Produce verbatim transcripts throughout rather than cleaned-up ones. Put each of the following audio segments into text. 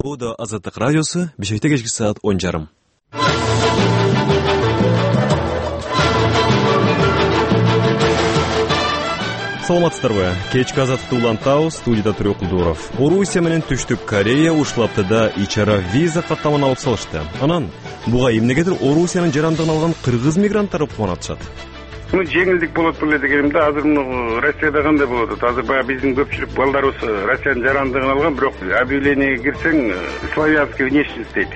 Бул да Азаттык радиосу, Бишкекте кечки саат он жарым. Саламатсыздарбы? Кечки Азаттыкты улантабыз, студияда Төрөк Кулдуров. Орусия менен Түштүк Корея ушул аптада ичара виза каттаманы алып салышты. Анан буга эмнегедир Орусиянын жарандыгын алган кыргыз мигранттары кубанатышат. Ну, жеңилдик болот беле дегенимде, азыр муну Россияда кандай болот атат? Азыр баягы биздин көпчүлүк балдарыбыз Россиянын жарандыгын алган, бирок объявлениеге кирсең славянский внешность дейт.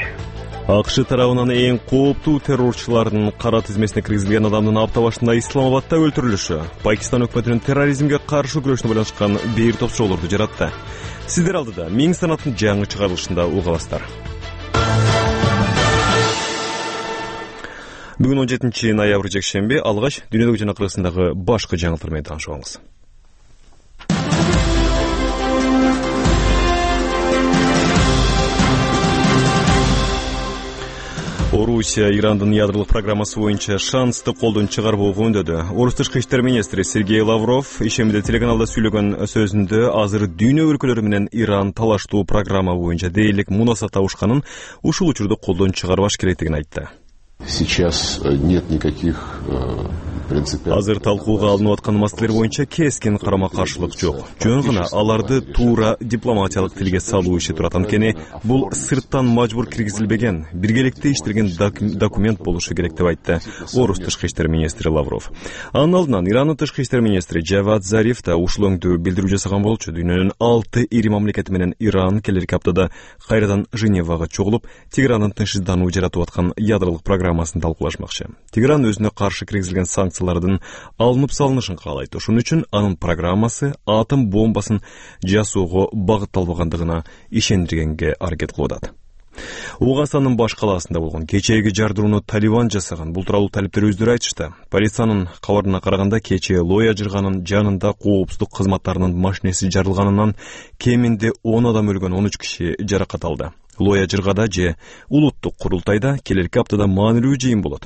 АКШ тарабынан эң кооптуу террорчулардын кара тизмесине киргизилген адамдын апта башында Исламабадда өлтүрүлүшү Пакистан өкмөтүнүн терроризмге каршы күрөшүнө байланышкан бир топ чоголорду жаратты. Сиздер алдыда Миң санаттын жаңы чыгарылышында уга аласыздар. Бүгүн он жетинчи ноябрь жекшемби, алгач дүйнөлүк жана Кыргызстандагы башкы жаңылыктар менен таанышып алыңыз. Орусия Ирандын ядролук программасы боюнча шансты колдон чыгарбоого үндөдү. Орус тышкы иштер министри Сергей Лавров ишемиде телеканалда сүйлөгөн сөзүндө азыр дүйнө өлкөлөрү менен Иран талаштуу программа боюнча дээрлик мунасат табышканын, ушул учурду колдон чыгарбаш керектигин айтты. Сейчас нет никаких принципиальных. Азыр талкууга алынып аткан маселелер боюнча кескин карама-каршылык жок. Жөн гана аларды туура дипломатиялык тилге салуу иши турат. Анткени бул сырттан мажбур киргизилбеген, биргеликте иштелген документ болушу керек деп айтты Орус тышкы иштер министри Лавров. Анын алдынан Ирандын тышкы иштер министри Джавад Зариф да ушул өңдүү билдирүү жасаган болчу. Дүйнөнүн алты ири мамлекети менен Иран келерки аптада кайрадан Женевага чогулуп, Теграндын тынчсыздануу жаратып аткан ядролук программасын талкуулашмакчы. Тегран өзүнө каршы киргизилген санкциялардын алынып салынышын каалайт. Ошон үчүн анын программасы атом бомбасын жасоого багытталбагандыгына ишендиргенге аракет кылып атат. Ооганстандын баш калаасында болгон кечээги жардырууну Талибан жасаган. Бул тууралуу талиптер өздөрү айтышты. Полициянын кабарына караганда кечээ Лоя жырганын жанында коопсуздук кызматтарынын машинеси жарылганынан кеминде он адам өлгөн, он үч киши жаракат алды. Лоя жыргада же улуттук курултайда келерки аптада маанилүү жыйын болот.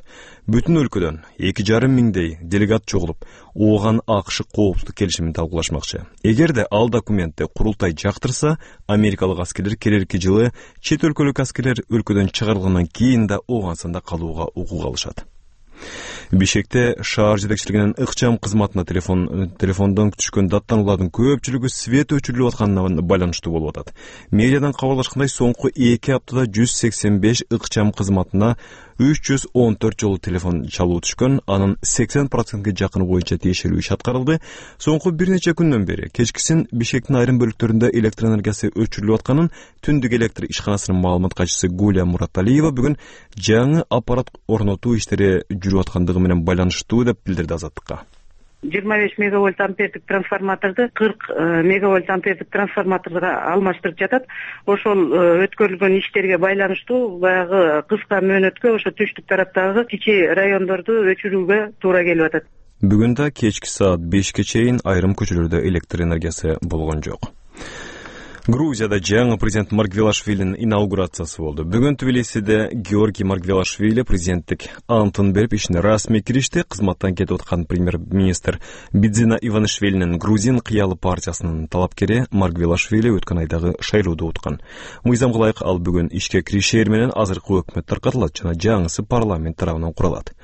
Бүтүн өлкөдөн эки жарым миңдей делегат чогулуп, ооган АКШ коопсуздук келишимин талкуулашмакчы. Эгерде ал документти курултай жактырса, америкалык аскерлер келерки жылы чет өлкөлүк аскерлер өлкөдөн чыгарылгандан кийин да Ооганстанда калууга укук алышат. Бишкекте шаар жетекчилигинин ыкчам кызматына телефон телефондон түшкөн даттануулардын көпчүлүгү свет өчүрүлүп атканына байланыштуу болуп атат. Медиадан кабарлашкандай, соңку эки аптада жүз сексен беш ыкчам кызматына үч жүз он төрт жолу телефон чалуу түшкөн, анын сексен процентке жакыны боюнча тиешелүү иш аткарылды. Соңку бир нече күндөн бери кечкисин Бишкектин айрым бөлүктөрүндө электр энергиясы өчүрүлүп атканын түндүк электр ишканасынын маалымат катчысы Гуля Мураталиева бүгүн жаңы аппарат орнотуу иштери жүрүп аткандыгы менен байланыштуу деп билдирди Азаттыкка. жыйырма беш мегавольт ампердик трансформаторду кырк мегавольт ампердик трансформаторго алмаштырып жатат. Ошол өткөрүлгөн иштерге байланыштуу баягы кыска мөөнөткө ошо Түштүк тараптагы кичи райондорду өчүрүүгө туура келип атат. Бүгүн да кечки саат бешке чейин айрым көчөлөрдө электр энергиясы болгон жок. Грузияда жаңы президент Маргвелашвилинин инаугурациясы болду. Бүгүн Тбилисиде Георгий Маргвелашвили президенттик антын берип ишине расмий киришти. Кызматтан кетип аткан премьер-министр Бидзина Иванишвилинин Грузин кыялы партиясынын талапкери Маргвелашвили өткөн айдагы шайлоодо уткан. Мыйзамга ылайык ал бүгүн ишке киришер менен азыркы өкмөт таркатылат жана жаңысы парламент тарабынан курулат.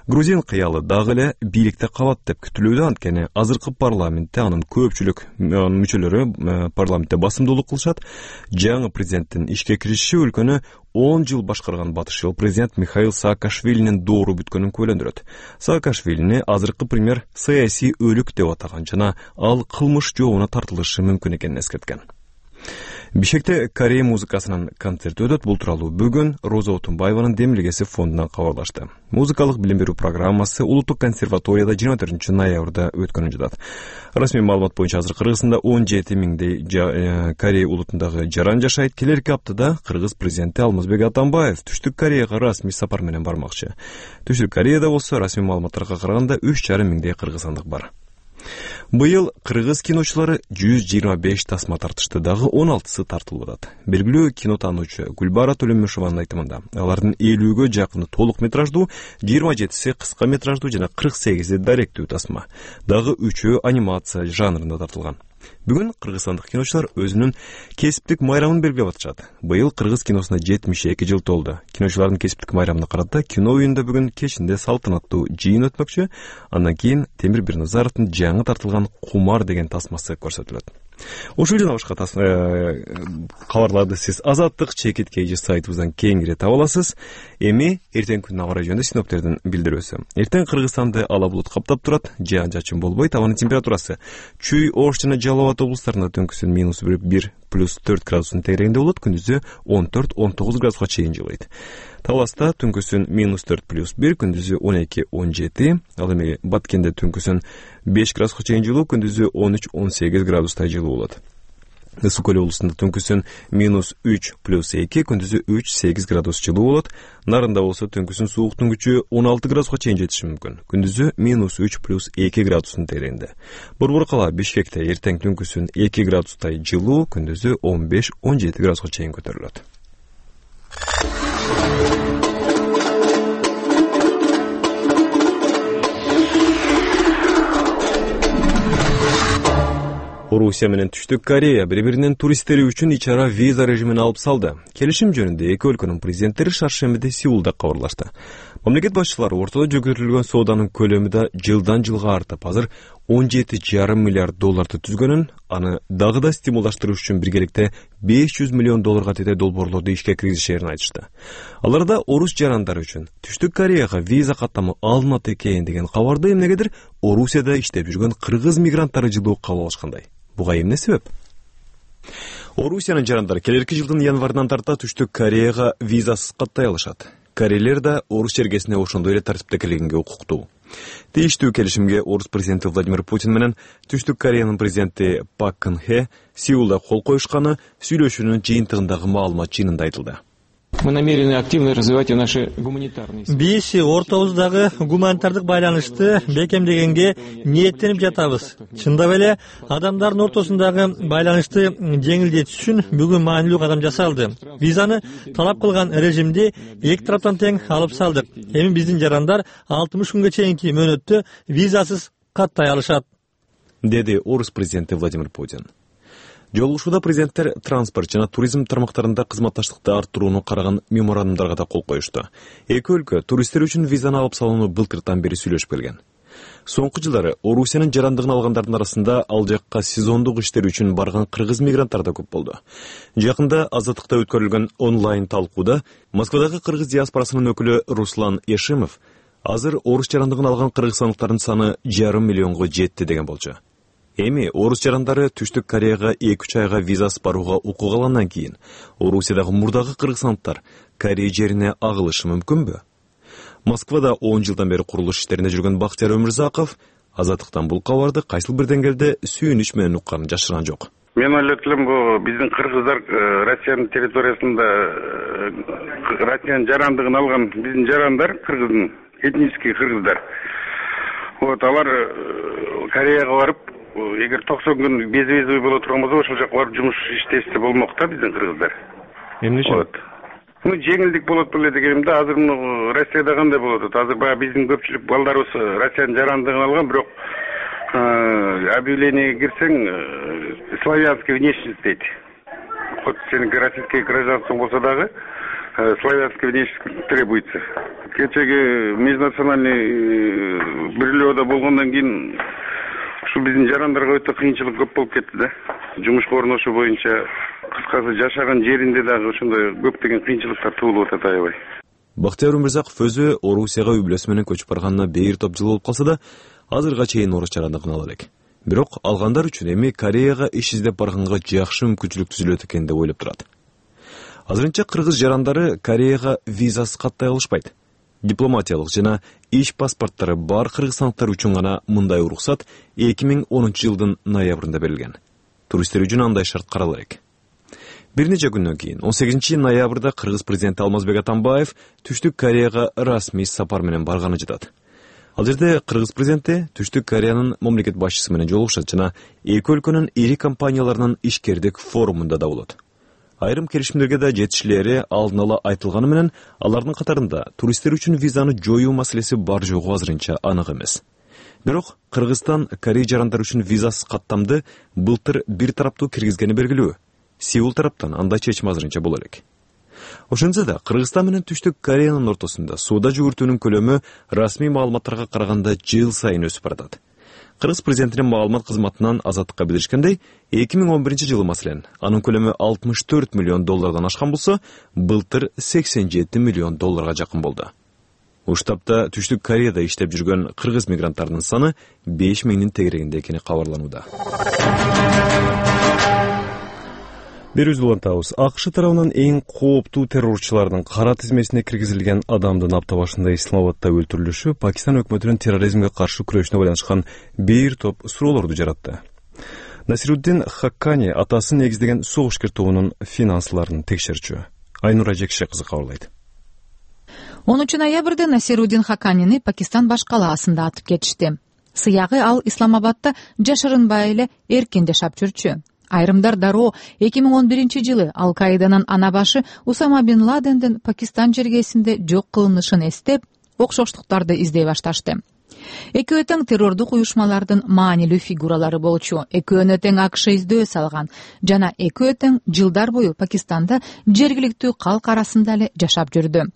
Грузин кыялы дагы эле бийликте калат деп күтүлүүдө, анткени азыркы парламентте анын көпчүлүк мүчөлөрү парламентте басымдуулук кылышат. Жаңы президенттин ишке кириши өлкөнү он жыл башкарган батыш эл президент Михаил Саакашвилинин доору бүткөнүн күбөлөндүрөт. Саакашвилини азыркы премьер саясий өлүк деп атаган жана ал кылмыш жообуна тартылышы мүмкүн экенин эскерткен. Бишкекте Корея музыкасынын концерти өтөт. Бул тууралуу бүгүн Роза Отунбаеванын демилгеси фондунан кабарлашты. Музыкалык билим берүү программасы Улуттук консерваторияда жыйырма төртүнчү ноябрда өткөнүн жатат. Расмий маалымат боюнча азыр Кыргызстанда он жети миңдей Корея улутундагы жаран жашайт. Келерки аптада Кыргыз президенти Алмазбек Атамбаев Түштүк Кореяга расмий сапар менен бармакчы. Түштүк Кореяда болсо расмий маалыматтарга караганда үч жарым миңдей кыргызстандык бар. Быйыл кыргыз киночулары жүз жыйырма беш тасма тартышты, дагы он алтысы тартылып атат. Белгилүү кинотануучу Гүлбара Төлөмүшованын айтымында алардын элүүгө жакыны толук метраждуу, жыйырма жетиси кыска метраждуу жана кырк сегизи даректүү тасма. Дагы үчөө анимация жанрында тартылган. Бүгүн кыргызстандык киночулар өзүнүн кесиптик майрамын белгилеп атышат. Быйыл кыргыз киносуна жетимиш эки жыл толду. Киночулардын кесиптик майрамына карата кино уюнда бүгүн кечинде салтанаттуу жыйын өтмөкчү. Андан кийин Темир Бирназаровдун жаңы тартылган Кумар деген тасмасы көрсөтүлөт. Ушул жана башка кабарларды сиз Азаттык чекит kg сайтыбыздан кеңири таба аласыз. Эми эртең күнүнө аба ырайы жөнүндө синоптиктердин билдирүүсү. Эртең Кыргызстанды ала булут каптап турат, жаан жачын болбойт, абанын температурасы Чүй, Ош жана Жалал Абад облустарында түнкүсүн минус бир плюс төрт градустун тегерегинде болот, күндүзү он төрт он тогуз градуска чейин жылыйт. Таласта түнкүсүн минус төрт плюс бир, күндүзү он эки он жети, ал эми Баткенде түнкүсүн беш градуска чейин жылуу, күндүзү он үч он сегиз градустай жылуу болот. Ысык Көл облусунда түнкүсүн минус үч плюс эки, күндүзү үч сегиз градус жылуу болот. Нарында болсо түнкүсүн сууктун күчү он алты градуска чейин жетиши мүмкүн. Күндүзү минус үч плюс эки градустун тегерегинде. Борбор кала Бишкекте эртең түнкүсүн эки градустай жылуу, күндүзү он беш он жети градуска чейин көтөрүлөт. Орусия менен Түштүк Корея бири-биринин туристтери үчүн ичара виза режимин алып салды. Келишим жөнүндө эки өлкөнүн президенттери шаршембиде Сеулда кабарлашты. Мамлекет башчылары ортодо жөгөртүлгөн сооданын көлөмү да жылдан жылга артып, азыр он жети жарым миллиард долларды түзгөнүн, аны дагы да стимулдаштырыш үчүн биргеликте беш жүз миллион долларга тете долбоорлорду ишке киргизишерин айтышты. Аларда орус жарандары үчүн Түштүк Кореяга виза каттамы алынат экен деген кабарды эмнегедир Орусияда иштеп жүргөн кыргыз мигранттары жылуу кабыл алышкандай. Буга эмне себеп? Орусиянын жарандары келерки жылдын январынан тарта Түштүк Кореяга визасыз каттай алышат. Корейлер да орус жергесине ошондой эле тартипте киргенге укуктуу. Тийиштүү келишимге орус президенти Владимир Путин менен Түштүк Кореянын президенти Пак Кын Хе Сеулда кол коюшканы сүйлөшүүнүн жыйынтыгындагы маалымат жыйынында айтылды. Мы намерены активно развивать наши гуманитарные. Биз ортобуздагы гуманитардык байланышты бекемдегенге ниеттенип жатабыз. Чындап эле адамдардын ортосундагы байланышты жеңилдетиш үчүн бүгүн маанилүү кадам жасалды. Визаны талап кылган режимди эки тараптан тең алып салдык. Эми биздин жарандар алтымыш күнгө чейинки мөөнөттө визасыз каттай алышат, деди орус президенти Владимир Путин. Жолугушууда президенттер транспорт жана туризм тармактарында кызматташтыкты арттырууну караган меморандумдарга да кол коюшту. Эки өлкө туристтер үчүн визаны алып салууну былтыртан бери сүйлөшүп келген. Соңку жылдары Орусиянын жарандыгын алгандардын арасында ал жакка сезондук иштер үчүн барган кыргыз мигранттар да көп болду. Жакында Азаттыкта өткөрүлгөн онлайн талкууда Москвадагы кыргыз диаспорасынын өкүлү Руслан Ешимов азыр орус жарандыгын алган кыргызстандыктардын саны жарым миллионго жетти деген болчу. Эми орус жарандары Түштүк Кореяга эки үч айга визасыз барууга укук алгандан кийин Орусиядагы мурдагы кыргызстандыктар Корея жерине агылышы мүмкүнбү? Москвада он жылдан бери курулуш иштеринде жүргөн Бактияр Өмүрзаков Азаттыктан бул кабарды кайсыл бир деңгээлде сүйүнүч менен укканын жашырган жок. Мен ойлойт элем, бул биздин кыргыздар Россиянын территориясында Россиянын жарандыгын алган биздин жарандар, кыргыздын этнический кыргыздар. Вот алар Кореяга барып, эгер токсон күн безвизовый боло турган болсо, ошол жака барып жумуш иштешсе болмок да биздин кыргыздар. Эмне үчүн? Ну, жеңилдик болот беле дегенимде, азыр муну Россияда кандай болот? Азыр баягы биздин көпчүлүк балдарыбыз Россиянын жарандыгын алган, бирок объявлениеге кирсең славянский внешность дейт. Хоть сеники российский гражданствоң болсо дагы славянский внешность требуется. Кечеги межнациональный бирлөөдө болгондон кийин ушу биздин жарандарга өтө кыйынчылык көп болуп кетти да. Жумушка орношуу боюнча, кыскасы жашаган жеринде дагы ошондой көптөгөн кыйынчылыктар туулуп атат аябай. Бактияр Өмүрзаков өзү Орусияга үй-бүлөсү менен көчүп барганына бир топ жыл болуп калса да, азырга чейин орус жарандыгын ала элек. Бирок алгандар үчүн эми Кореяга иш издеп барганга жакшы мүмкүнчүлүк түзүлөт экен деп ойлоп турат. Азырынча кыргыз жарандары Кореяга визасыз каттай алышпайт. Дипломатиялык жана иш паспорттары бар кыргызстандыктар үчүн гана мындай уруксат эки миң онунчу жылдын ноябрында берилген. Туристтер үчүн андай шарт карала элек. Бир нече күндөн кийин он сегизинчи ноябрда кыргыз президенти Алмазбек Атамбаев Түштүк Кореяга расмий сапар менен барганы жатат. Ал жерде кыргыз президенти Түштүк Кореянын мамлекет башчысы менен жолугушат жана эки өлкөнүн ири компанияларынын ишкердик форумунда да болот. Айрым келишимдерге да жетишилери алдын ала айтылганы менен, алардын катарында туристтер үчүн визаны жоюу маселеси бар жогу азырынча анык эмес. Бирок Кыргызстан Корея жарандары үчүн визасыз каттамды былтыр бир тараптуу киргизгени белгилүү. Сеул тараптан андай чечим азырынча боло элек. Ошентсе да Кыргызстан менен Түштүк Кореянын ортосунда сууда жүгүртүүнүн көлөмү расмий маалыматтарга караганда жыл сайын өсүп баратат. Кыргыз президентинин маалымат кызматынан азаттыкка билдиришкендей, эки миң он биринчи жылы маселен анын көлөмү алтымыш төрт миллион доллардан ашкан болсо, былтыр сексен жети миллион долларга жакын болду. Уштапта Түштүк Кореяда иштеп жүргөн кыргыз мигранттарынын саны беш миңдин тегерегинде экени кабарланууда. Бир үзүлантабыз. АКШ тарабынан эң кооптуу террорчулардын кара тизмесине киргизилген адамдын апта башында Исламабадда өлтүрүлүшү Пакистан өкмөтүнүн терроризмге каршы күрөшүнө байланышкан бир топ суроолорду жаратты. Насируддин Хаккани атасы негиздеген согушкер тобунун финансларын текшерчү. Айнура Жекше кызы кабарлайт. онунчу ноябрда Насируддин Хакканини Пакистан баш калаасында атып кетишти. Сыягы ал Исламабадда жашырынбай эле эркин жашап жүрчү. Айрымдар дароо эки миң он биринчи жылы Ал-Каиданын ана башы Усама бин Ладендин Пакистан жергесинде жок кылынышын эстеп, окшоштуктарды издей башташты. Экөө тең террордук уюшмалардын маанилүү фигуралары болчу. Экөөнө тең АКШ издөө салган жана экөө тең жылдар бою Пакистанда жергиликтүү калк арасында эле жашап жүрдү.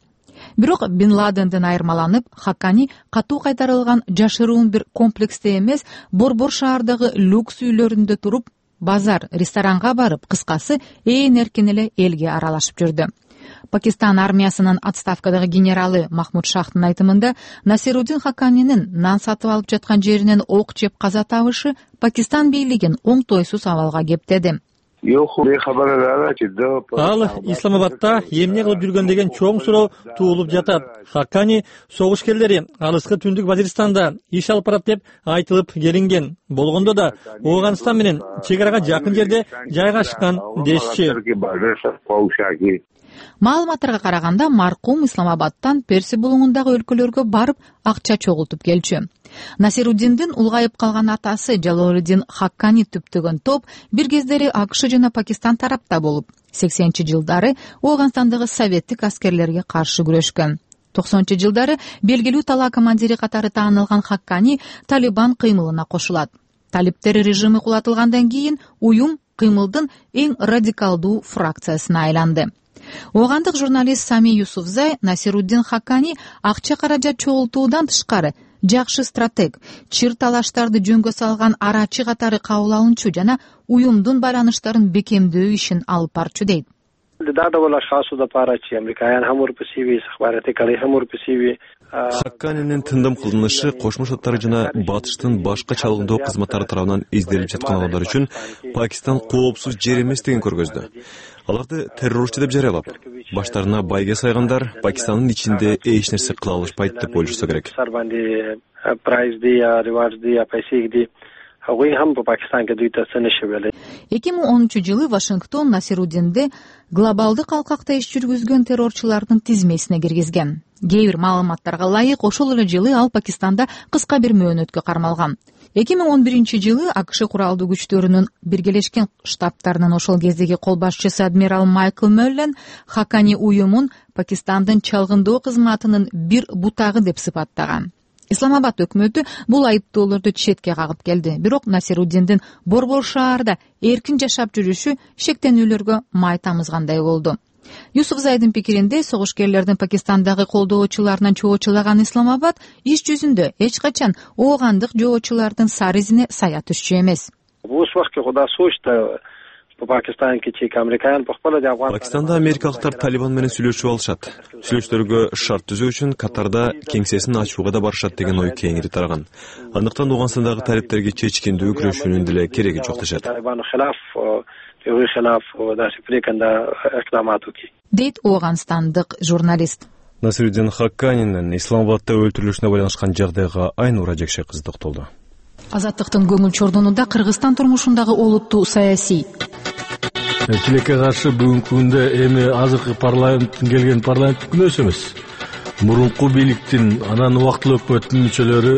Бирок Бин Ладенден айырмаланып, Хаккани катуу кайтарылган жашыруун бир комплексте эмес, борбор шаардагы люкс үйлөрүндө туруп, базар, ресторанга барып, кыскасы ээн эркин эле элге аралашып жүрдү. Пакистан армиясынын отставкадагы генералы Махмуд Шахтын айтымында, Насируддин Хакканинин нан сатып алып жаткан жеринен ок жеп каза табышы Пакистан бийлигин оңтойсуз абалга кептеди. Ал Исламабадда эмне кылып жүргөн деген чоң суроо туулуп жатат. Хаккани согушкерлери алыскы түндүк Вазиристанда иш алып барат деп айтылып келинген. Болгондо да Ооганстан менен чек арага жакын жерде жайгашкан дешчи. Маалыматтарга караганда, маркум Исламабадтан Перси булуңундагы өлкөлөргө барып акча чогултуп келчү. Насируддиндин улгайып калган атасы Жалолуддин Хаккани түптөгөн топ бир кездери АКШ жана Пакистан тарапта болуп, сексенинчи жылдары Ооганстандагы советтик аскерлерге каршы күрөшкөн. токсонунчу жылдары белгилүү тала командири катары таанылган Хаккани Талибан кыймылына кошулат. Талиптер режими кулатылгандан кийин уюм кыймылдын эң радикалдуу фракциясына айланды. Оогандык журналист Сами Юсуфзай Насируддин Хаккани акча каражат чогултуудан тышкары жакшы стратег, чыр талаштарды жөнгө салган арачы катары кабыл алынчу жана уюмдун байланыштарын бекемдөө ишин алып барчу дейт. Хакканинин тындым кылынышы Кошмо Шаттар жана Батыштын башка чалгындоо кызматтары тарабынан изделип жаткан адамдар үчүн Пакистан коопсуз жер эмес деген көргөздү. Аларды террорчу деп жарыялап, баштарына байге сайгандар Пакистандын ичинде эч нерсе кыла алышпайт деп ойлошсо керек. эки миң онунчу жылы Вашингтон Насируддинди глобалдык алкакта иш жүргүзгөн террорчулардын тизмесине киргизген. Кээ бир маалыматтарга ылайык, ошол эле жылы ал Пакистанда кыска бир мөөнөткө кармалган. эки миң он биринчи жылы АКШ куралдуу күчтөрүнүн Биргелешкен Штаттарынын ошол кездеги кол башчысы адмирал Майкл Мөллен Хаккани уюмун Пакистандын чалгындоо кызматынын бир бутагы деп сыпаттаган. Исламабад өкмөтү бул айыптоолорду четке кагып келди. Бирок Насируддиндин борбор шаарда эркин жашап жүрүшү шектенүүлөргө май тамызгандай болду. Юсуфзайдын пикиринде, согушкерлердин Пакистандагы колдоочуларынан чоочулаган Исламабад иш жүзүндө эч качан оогандык жоочулардын сары изине сая түшчү эмес. Пакистанда америкалыктар Талибан менен сүйлөшүп алышат. Сүйлөшүүлөргө шарт түзүү үчүн Катарда кеңсесин ачууга да барышат деген ой кеңири тараган. Андыктан Ооганстандагы талиптерге чечкиндүү күрөшүүнүн деле кереги жок дешет. Дейт ооганстандык журналист. Насируддин Хакканинин Исламабадда өлтүрүлүшүнө байланышкан жагдайга Айнура Жекше кызы токтолду. Азаттыктын көңүл чордонунда Кыргызстан турмушундагы олуттуу саясий. Тилекке каршы бүгүнкү күндө эми азыркы парламенттин келген парламенттик күнөөсү эмес. Мурунку бийликтин, анан убактылуу өкмөттүн мүчөлөрү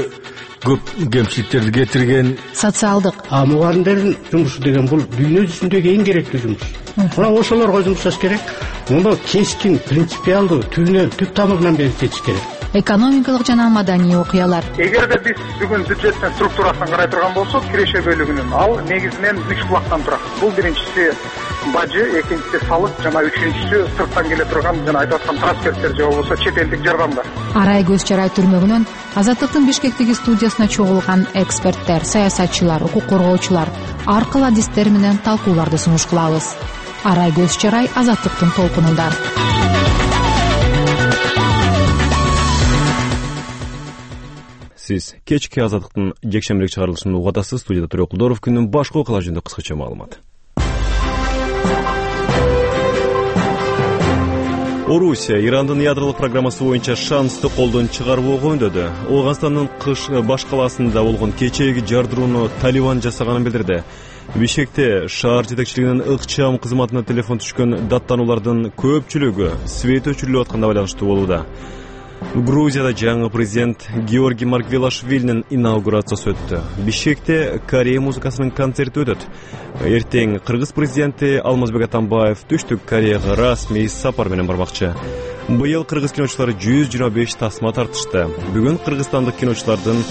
көп кемчиликтерди кетирген. Социалдык. А мугалимдердин жумушу деген бул дүйнө жүзүндөгү эң керектүү жумуш. Мына ошолорго жумушташ керек. Муну кескин, принципиалдуу, түбүнөн, түп тамырынан бери чечиш керек. экономикалык жана маданий окуялар. Эгерде биз бүгүн бюджеттин структурасын карай турган болсок, киреше бөлүгүнүн ал негизинен үч булактан турат. Бул биринчиси бажы, экинчиси салык жана үчүнчүсү сырттан келе турган жана айтып аткан трансферттер же болбосо чет элдик жардамдар. Арай көз чарай түрмөгүнөн Азаттыктын Бишкектеги студиясына чогулган эксперттер, саясатчылар, укук коргоочулар ар кыл адистер менен талкууларды сунуш кылабыз. Арай көз чарай Азаттыктын толкунунда. Сиз кечки Азаттыктын жекшембирек чыгарылышын угатасыз. Студияда Төрө Кулдоров. Күндүн башка окуялар жөнүндө кыскача маалымат. Орусия Ирандын ядролук программасы боюнча шансты колдон чыгарбоого үндөдү. Ооганстандын Кыш баш калаасында болгон кечээги жардырууну Талибан жасаганын билдирди. Бишкекте шаар жетекчилигинин ыкчам кызматына телефон түшкөн даттануулардын көпчүлүгү свет өчүрүлүп атканда байланыштуу болууда. Грузияда жаңы президент Георгий Маргвелашвилинин инаугурациясы өттү. Бишкекте Корея музыкасынын концерти өтөт. Эртең Кыргыз президенти Алмазбек Атамбаев Түштүк Кореяга расмий сапар менен бармакчы. Быйыл кыргыз киночулары жүз жыйырма беш тасма тартышты. Бүгүн кыргызстандык киночулардын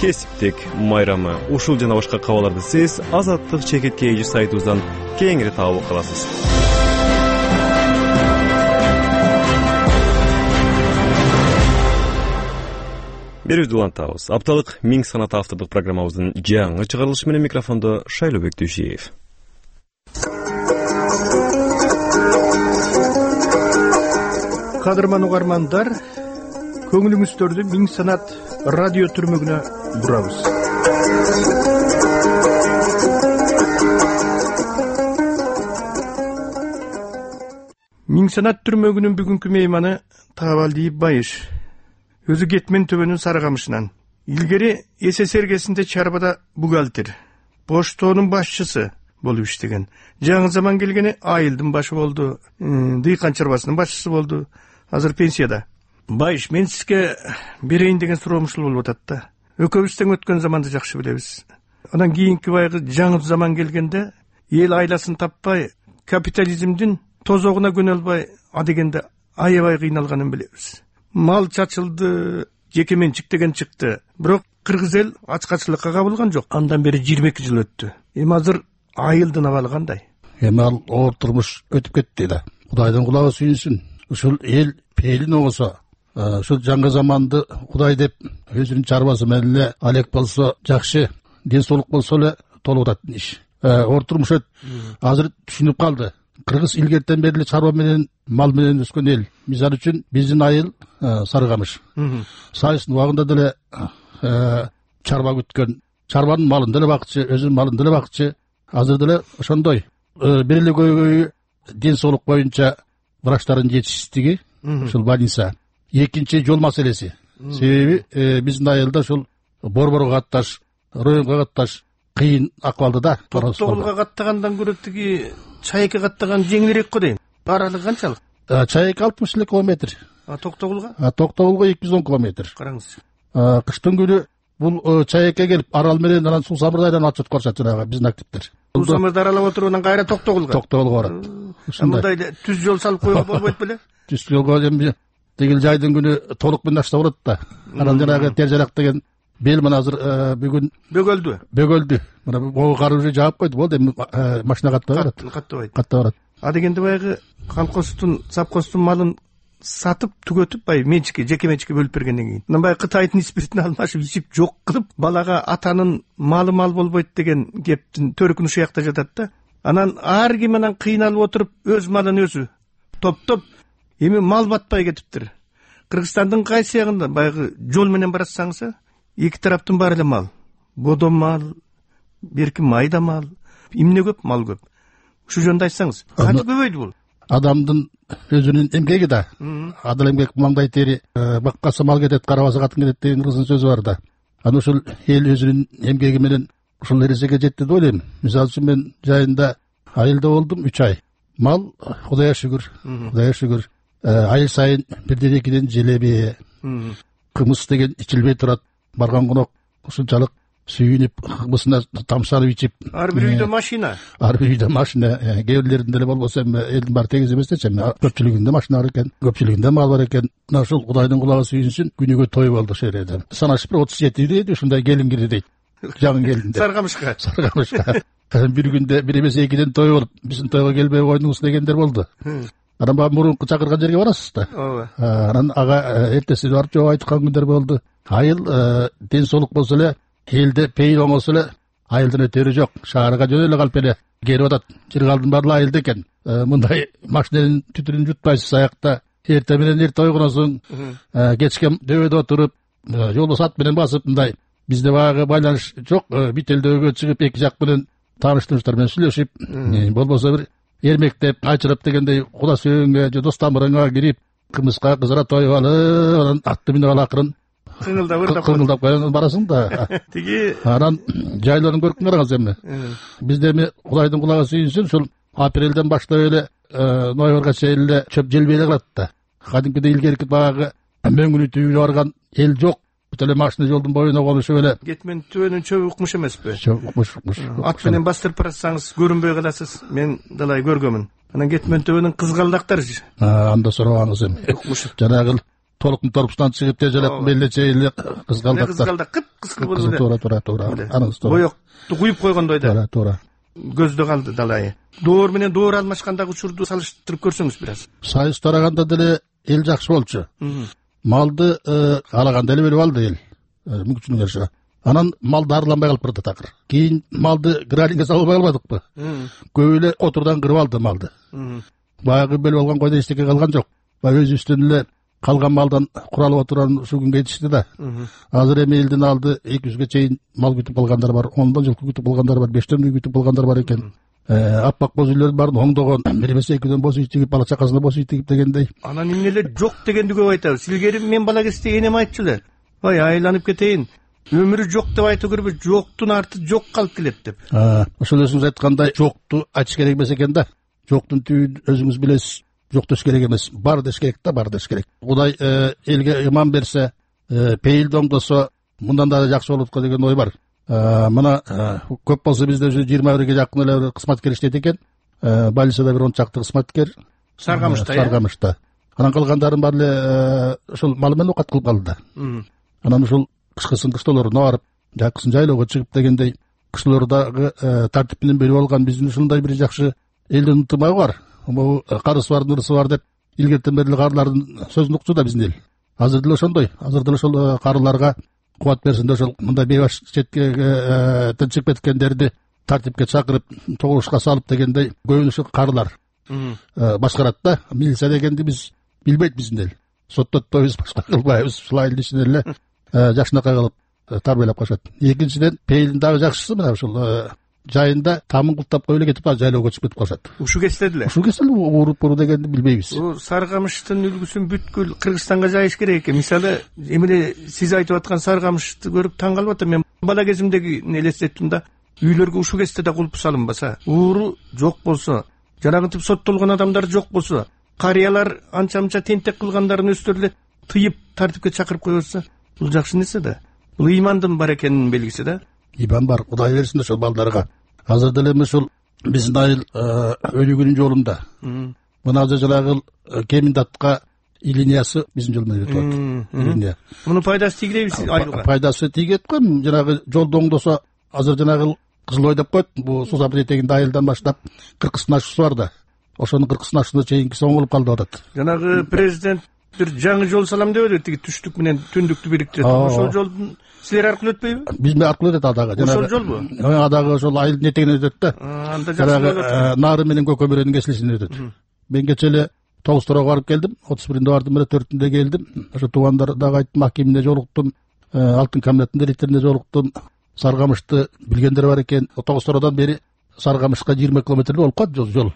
кесиптик майрамы. Ушул жана башка кабарларды сиз Азаттык чекитке эже сайтыбыздан кеңири таап каласыз. Берүүбүздү улантабыз. Апталык Миң санат автордук программабыздын жаңы чыгарылышы менен микрофондо Шайлообек Дүйшиев. Кадырман угармандар, көңүлүңүздөрдү Миң санат радио түрмөгүнө бурабыз. Миң санат түрмөгүнүн бүгүнкү мейманы Таабалдиев Байыш. Өзү Кетмен төбөнүн Сарыгамышынан. Илгери СССР кезинде Чарбада бухгалтер, поштонун башчысы болуп иштеген. Жаңы заман келгени айылдын башы болду, дыйкан чарбасынын башчысы болду. Азыр пенсияда. Байыш, мен сизге берейин деген суроом ушул болуп атат да. Экөөбүз тең өткөн заманды жакшы билебиз. Анан кийинки байгы жаңы заман келгенде эл айласын таппай, капитализмдин тозогуна көнө албай, адегенде аябай кыйналганын билебиз. Мал чачылды, жеке менчик деген чыкты. Бирок кыргыз эл ачкачылыкка кабылган жок. Андан бери жыйырма эки жыл өттү. Эми азыр айылдын абалы кандай? Эми ал оор турмуш өтүп кетти да. Кудайдын кулагы сүйүнсүн. Ушул эл пейлин оңосо, ушул жаңы заманды Кудай деп өзүнүн чарбасы менен эле алек болсо жакшы, ден соолук болсо эле толук атат иш. Оор турмуш өт. Азыр түшүнүп калды. Кыргыз илгертен бери эле чарба менен, мал менен өскөн эл. Мисалы үчүн биздин айыл Сарыгамыш. Сайыстын убагында деле чарба күткөн, чарбанын малын деле бакчы, өзүнүн малын деле бакчы. Азыр деле ошондой. Бир эле көйгөйү ден соолук боюнча врачтардын жетишсиздиги, ушул больница. Экинчи жол маселеси. Себеби биздин айылда ушул борборго катташ, районго катташ кыйын акыбалда да. Токтогулга каттагандан көрө тиги Чайыкка каттаган жеңилирээк го дейм. Аралыгы канчалык? Чайык алтымыш эле километр. А Токтогулга? А Токтогулга эки жүз он километр. Караңыз. Кыштын күнү бул Чайыкка келип Арал менен анан Суу Самырдайдан отчет көрсөт жанагы биздин активдер. Суу Самырды аралап отуруп анан кайра Токтогулга. Токтогулга барат. Мындай түз жол салып койгон болбойт беле? Түз жолго эми тигил жайдын күнү толук менен ашта болот да. Анан жанагы Тержарак деген бел мына азыр бүгүн бөгөлдү. Бөгөлдү. Мына могу кар уже жаап койду, болду эми машина каттабай барат. Каттабайт. Каттабай барат. А дегенде баягы колхоздун, завхоздун малын сатып, түгөтүп, бай менчикке, жеке менчикке бөлүп бергенден кийин. Анан баягы Кытайдын спиртин алмашып, ичип жок кылып, балага атанын малы мал болбойт деген кептин төркүнү ушул жакта жатат да. Анан ар ким анан кыйналып отуруп, өз малын өзү топтоп, эми мал батпай кетиптир. Кыргызстандын кайсы ягында баягы жол менен баратсаңыз, эки тараптын баары эле мал. Бодо мал, берки майда мал, эмне көп, мал көп. Ушул жөнүндө айтсаңыз, кантип көбөйдү бул? Адамдын өзүнүн эмгеги да. Адыл эмгек маңдай тери, баккасы мал кетет, карабасы катын кетет деген кыргыздын сөзү бар да. Анан ушул эл өзүнүн эмгеги менен ушул эрежеге жетти деп ойлойм. Мисалы үчүн мен жайында айылда болдум үч ай. Мал Кудайга шүгүр, Кудайга шүгүр. Ай сайын бирден экиден желеби, кымыз деген ичилбей турат. Барган конок ушунчалык сүйүнүп кыбысына тамшанып ичип, ар бир үйдө машина ар бир үйдө машина, кээ бирлеринде эле болбосо эми элдин баары тегиз эмес дечи, эми көпчүлүгүндө машина бар экен, көпчүлүгүндө мал бар экен. Мына ушул Кудайдын кулагы сүйүнсүн, күнүгө той болду ошол жерде. Санашып бир отуз жети дейт, ушундай келин кирди дейт. Жаңы келинде. Саргамышка. Саргамышка. Бир күндө бир эмес экиден той болуп, биздин тойго келбей койдуңуз дегендер болду. Анан баягы мурунку чакырган жерге барасыз да. Ооба. Анан ага эртеси барып жооп айткан күндөр болду. Айыл ден соолук болсо эле, элде пейил оңосо эле, айылдын өтөрү жок. Шаарга жөнө эле калып эле келип атат. Жыргалдын баары айылда экен. Мындай машинанын түтүнүн жутпайсыз аякта. Эрте менен эрте ойгоносуң, кечке дөбөдө отуруп, жолдо сат менен басып, мындай бизде баягы байланыш жок. Бүт элдөөгө чыгып эки жак менен тааныштырыштар менен сүйлөшүп, болбосо бир эрмектеп, айчырап дегендей куда сүйөнгө же дос тамырыңа кирип, кымызга кызара тоюп алып, анан атты минип алып акырын кыңылдап ырдап кыңылдап коюп барасың да. Тиги анан жайларын көрүп караңыз эми. Бизде эми Кудайдын кулагы сүйүнсүн, ушул апрелден баштап эле ноябрга чейин эле чөп желбей эле калат да. Кадимкидей илгерки баягы мөңгүнү түйүнүп барган эл жок. Бүт эле машина жолдун боюна конушуп эле. Кетмен түбөнүн чөбү укмуш эмеспи? Чөп укмуш, укмуш. Ат менен бастырып баратсаңыз көрүнбөй каласыз. Мен далай көргөмүн. Анан кетмен түбөнүн кызгалдактар. Анда сурабаңыз эми. Жанагы толуктун торпусунан чыгып тежелеп мелде чейин кызгалдактар. Кызгалдак кып-кызгыл болуп эле. Туура, туура, туура. Анысы туура. Боёкту куюп койгондой да. Туура, туура. Көздө калды далайы. Доор менен доор алмашкандагы учурду салыштырып көрсөңүз бир аз. Сайыс тараганда деле эл жакшы болчу. Малды каалаганда эле бөлүп алды эл. Мүмкүнчүлүгүнө жараша. Анан мал дарыланбай калып барды такыр. Кийин малды гралинге салып албай калбадыкпы? Көп эле отурдан кырып алды малды. Баягы бөлүп алган койдо эчтеке калган жок. Баягы өзүбүздөн эле калган малдан куралып отурган ушул күнгө жетишти да. Азыр эми элдин алды эки жүзгө чейин мал күтүп калгандар бар, ондон жылкы күтүп калгандар бар, бештен үй күтүп калгандар бар экен. Аппак боз үйлөрдүн баарын оңдогон, бир эмес экиден боз үй тигип, бала чакасына боз үй тигип дегендей. Анан эмне эле жок дегенди көп айтабыз. Илгери мен бала кезде энем айтчу эле. Ой, айланып кетейин. Өмүрү жок деп айтуу керек, жоктун арты жок калып келет деп. Ошол өзүңүз айткандай жокту айтыш керек эмес экен да. Жоктун түбүн өзүңүз билесиз. Жок деш керек эмес. Бар деш керек да, бар деш керек. Кудай элге иман берсе, пейилди оңдосо, мындан да жакшы болот го деген ой бар. Мына көп болсо бизде уже жыйырма бирге жакын эле кызматкер иштейт экен. Больницада бир он чакты кызматкер. Саргамышта. Саргамышта. Анан калгандарын баары эле ушул мал менен окат кылып калды да. Анан ушул кышкысын кыштоолоруна барып, жакысын жайлоого чыгып дегендей кыштоолордагы тартип менен бөлүп алган биздин ушундай бир жакшы элдин ынтымагы бар. Могу карысы бар, нырысы бар деп илгертен бери карылардын сөзүн укчу да биздин эл. Азыр деле ошондой. Азыр деле ошол карыларга кубат берсин деп ошол мындай бейбаш четке чыгып кеткендерди тартипке чакырып, чогулушка салып дегендей көбүн ушу карылар башкарат да. Милиция дегенди биз билбейт биздин эл. Соттотпойбуз, башка кылбайбыз. Ушул айылдын ичинде эле жакшынакай кылып тарбиялап калышат. Экинчиден пейилдин дагы жакшысы мына ушул жайында тамын кылтап коюп эле кетип жайлоого чыгып кетип калышат. Ушу кезде деле. Ушу кезде ууруп буруу дегенди билбейбиз. Саргамыштын үлгүсүн бүткүл Кыргызстанга жайыш керек экен. Мисалы, эмне сиз айтып аткан Саргамышты көрүп таң калып атам. Мен бала кезимдеги элестеттим да. Үйлөргө ушу кезде да кулп салынбаса, ууру жок болсо, жанагынтип соттолгон адамдар жок болсо, карыялар анча-мынча тентек кылгандарын өздөрү эле тыйып тартипке чакырып койбосо, бул жакшы нерсе да. Бул ыймандын бар экенинин белгиси да. Иман бар, Кудай берсин ошол балдарга. Азыр деле эми биздин айыл өнүгүүнүн жолунда. Мына азыр жанагы Кеминдатка линиясы биздин жол менен өтүп атат. Мунун пайдасы тийгилеби айылга? Пайдасы тийет го. Жанагы жолду оңдосо, азыр жанагы Кызыл Ой деп коет, бул суу сапыр этегинде айылдан баштап кыркысын ашуусу бар да. Ошонун кыркысын ашуусуна чейинкиси оңолуп калды атат. Жанагы президент бир жаңы жол салам деп эле, тиги түштүк менен түндүктү бириктирет. Ошол жолдун силер аркылуу өтпөйбү? Биз аркылуу өтөт адагы. Ошол жолбу? Адагы ошол айылдын этегинен өтөт да. Анда жакшы. Нары менен Көкөбөрөнүн кесилишинен өтөт. Мен кече эле тогуз торого барып келдим, отуз биринде бардым эле, төртүндө келдим. Ошо туугандар дагы айттым, акимине жолуктум, алтын камераттын директоруна жолуктум. Саргамышты билгендер бар экен. тогуз тородон бери Саргамышка жыйырма километр болуп калат жол.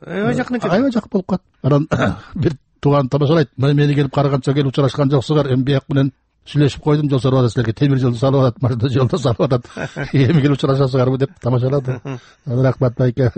Аябай жакын экен. Аябай жакын болуп калат. Анан бир тууган тамашалайт. Мени келип караганча келип учурашкан жоксуңар, эми бияк менен сүйлөшүп койдум, жол салып атат силерге, темир жолду салып атат, машина жолду салып атат. Эми келип учурашасыңарбы деп тамашалады. Рахмат байке,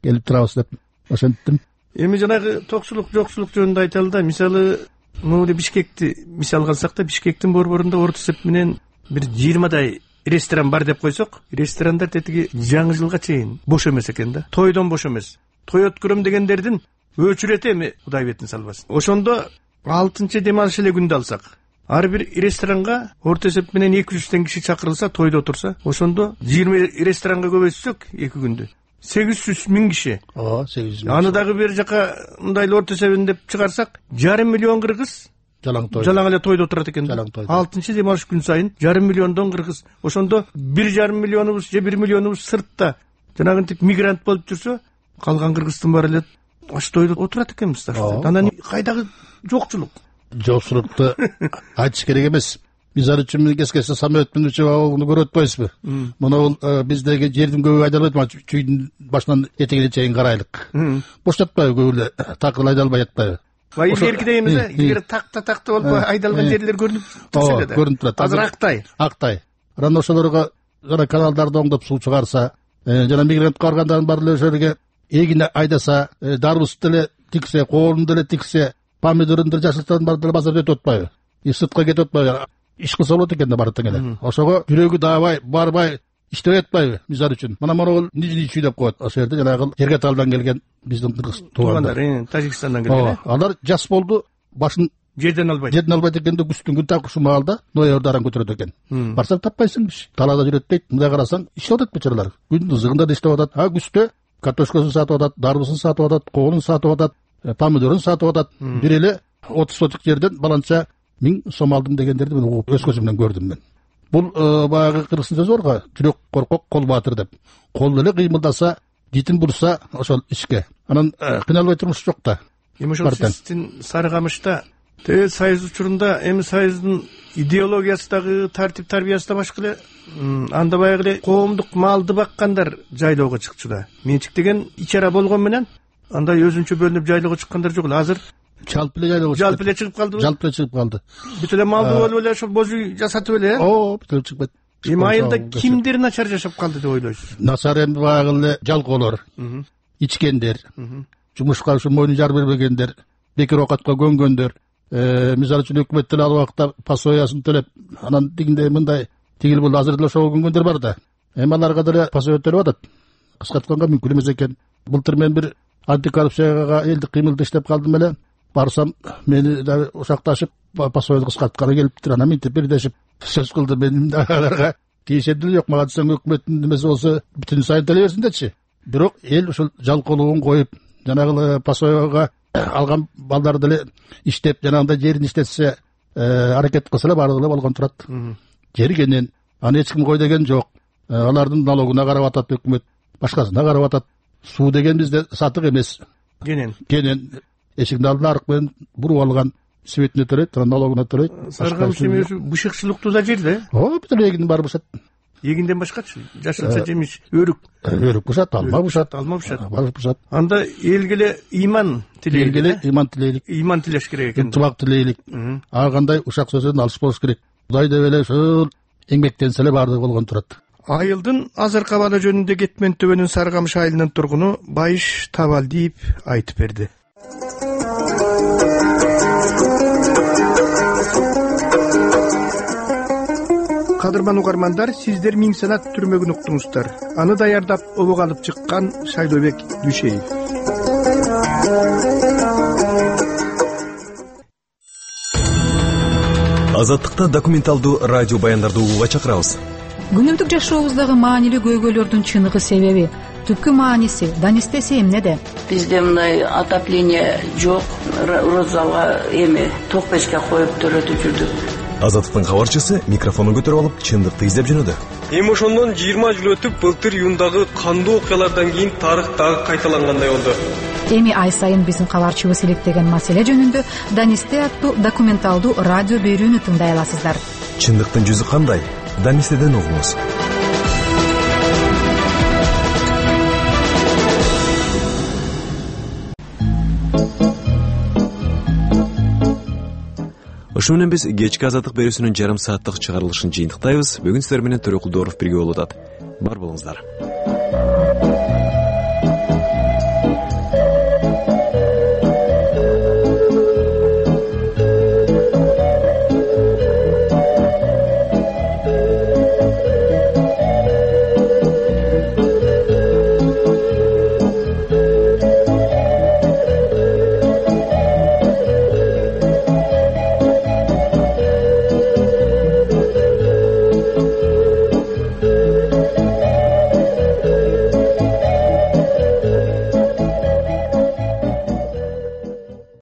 келип турабыз деп ошентип. Эми жанагы токчулук, жокчулук жөнүндө айталы да. Мисалы, могу Бишкекти мисалга алсак да, Бишкектин борборунда орто эсеп менен бир жыйырмадай ресторан бар деп койсок, ресторандар тетиги жаңы жылга чейин бош эмес экен да. Тойдон бош эмес. Той өткөрөм дегендердин өчүрөтү эми Кудай бетин салбасын. Ошондо алтынчы дем алыш эле күндү алсак, ар бир ресторанга орто эсеп менен эки жүздөн киши чакырылса, тойдо отурса, ошондо жыйырма ресторанга көбөйтсөк эки күндү сегиз жүз миң киши. Ооба, сегиз жүз миң. Аны дагы бир жака мындай орто эсебин деп чыгарсак, жарым миллион кыргыз жалаң той. Жалаң эле тойдо отурат экен. алтынчы дем алыш күн сайын жарым миллиондон кыргыз. Ошондо бир жарым миллионубуз же бир миллионубуз сыртта жанагынтип мигрант болуп жүрсө, калган кыргыздын баары эле аш тойдо отурат экенбиз да. Анан кайдагы жокчулук? Жокчулукту айтыш керек эмес. Мисалы үчүн кескесе самолет менен учуп алууну көрүп атпайсызбы? Мына бул биздеги жердин көбү айдалбайт, чүйдүн башынан этегине чейин карайлык. Боштотпайбы көбү эле такыр айдалбай атпайбы? Бай илгерки дейбиз да, илгери такта такта болуп айдалган жерлер көрүнүп турса эле да. Көрүнүп турат. Азыр актай. Актай. Анан ошолорго жана каналдарды оңдоп суу чыгарса, жана мигрант каргандардын баары эле ошол жерге эгине айдаса, дарбызды деле тиксе, коонун деле тиксе, помидорун деле жашылтарын баары деле базарда өтүп атпайбы? И сыртка кетип атпайбы? Иш кылса болот экен да баары тең эле. Ошого жүрөгү даабай, барбай, иштебей атпайбы? Мисалы үчүн. Мына могул нижний чүй деп коет. Ошол жерде жанагы Жергаталдан келген биздин кыргыз туугандар, Тажикстандан келген. Алар жас болду, башын жерден албайт. Жерден албайт экенде күздүн күн так ушул маалда ноябрда аран көтөрөт экен. Барсаң таппайсың киши. Талаада жүрөт дейт. Мындай карасаң иштеп атат бечаралар. Күндүн ызыгында да иштеп атат. А күздө картошкасын сатып атат, дарбызын сатып атат, коонун сатып атат, помидорун сатып атат. Бир эле отуз соток жерден баланча миң сом алдым дегендерди мен угуп өз көзүм менен көрдүм мен. Бул баягы кыргыздын сөзү бар го, жүрөк коркок, кол баатыр деп. Кол эле кыймылдаса, дитин бурса ошол ишке. Анан кыйналбай турмуш жок да. Эми ошол сиздин Сарыкамышта Тээ Союз учурунда эми Союздун идеологиясы дагы, тартип тарбиясы да башка эле. Анда баягы эле коомдук малды баккандар жайлоого чыкчу да. Менчик деген ичара болгон менен андай өзүнчө бөлүнүп жайлоого чыккандар жок эле. Азыр жалпы эле жайлоого жалпы эле чыгып калдыбы? Жалпы эле чыгып калды. Бүт эле малды болуп эле ошол боз үй жасатып эле. Оо, бүт эле чыгып кетти. Эми айылда кимдер начар жашап калды деп ойлойсуз? Начар эми баягы эле жалкоолор, ичкендер, жумушка ушу мойнун жар бербегендер, бекер оокатка көнгөндөр, мисалы үчүн өкмөт деле ал убакта пасоясын төлөп, анан тигинде мындай тигил бул азыр деле ошого көнгөндөр бар да. Эми аларга деле пасоя төлөп атат. Кыскартканга мүмкүн эмес экен. Былтыр мен бир антикоррупцияга элдик кыймылда иштеп калдым эле. Барсам мени да ушакташып пасояны кыскартканы келиптир. Анан минтип бирдешип сөз кылды. Мен аларга тиешем деле жок. Мага десең өкмөттүн немеси болсо бүтүн сайын төлөй берсин дечи. Бирок эл ушул жалкоолугун коюп, жанагы пасояга алган балдар деле иштеп, жанагындай жерин иштетсе, аракет кылса эле баардыгы эле болгон турат. Жер кенен, аны эч ким кой деген жок. Алардын налогуна карап атат өкмөт, башкасына карап атат. Суу деген бизде сатык эмес. Кенен. Кенен эшиктин алдына арык менен буруп алган светине төлөйт, анан налогуна төлөйт. Сарыкамыш эми бышыкчылыктуу да жер да. Оо, бүт эле эгиндин баары бышат. Эгинден башкачы? Жашылча жемиш, өрүк. Өрүк бышат, алма бышат, алма бышат. Баары бышат. Анда элге эле иман тилейли. Элге эле иман тилейлик. Иман тилеш керек экен. Ынтымак тилейлик. Ар кандай ушак сөздөн алыс болуш керек. Кудай деп эле ушул эмгектенсе эле баардыгы болгон турат. Айылдын азыркы абалы жөнүндө Кетмен төбөнүн Сарыкамыш айылынын тургуну Байыш Табалдиев айтып берди. Кадырман угармандар, сиздер Миң санат түрмөгүн уктуңуздар. Аны даярдап обого алып чыккан Шайлообек Дүшеев. Азаттыкта документалдуу радио баяндарды угууга чакырабыз. Күнүмдүк жашообуздагы маанилүү көйгөйлөрдүн чыныгы себеби, түпкү мааниси, данистеси эмнеде? Бизде мындай отопление жок, розалга эми ток печке коюп төрөтүп жүрдүк. Азаттыктын кабарчысы микрофонун көтөрүп алып, чындыкты издеп жөнөдү. Эми ошондон жыйырма жыл өтүп, былтыр июндагы кандуу окуялардан кийин тарых дагы кайталангандай болду. Эми ай сайын биздин кабарчыбыз иликтеген маселе жөнүндө Данисте аттуу документалдуу радио берүүнү тыңдай аласыздар. Чындыктын жүзү кандай? Данистеден угуңуз. Ошо менен биз кечки азаттык берүүсүнүн жарым сааттык чыгарылышын жыйынтыктайбыз. Бүгүн сиздер менен Төрөкул Дооров бирге болуп атат. Бар болуңуздар.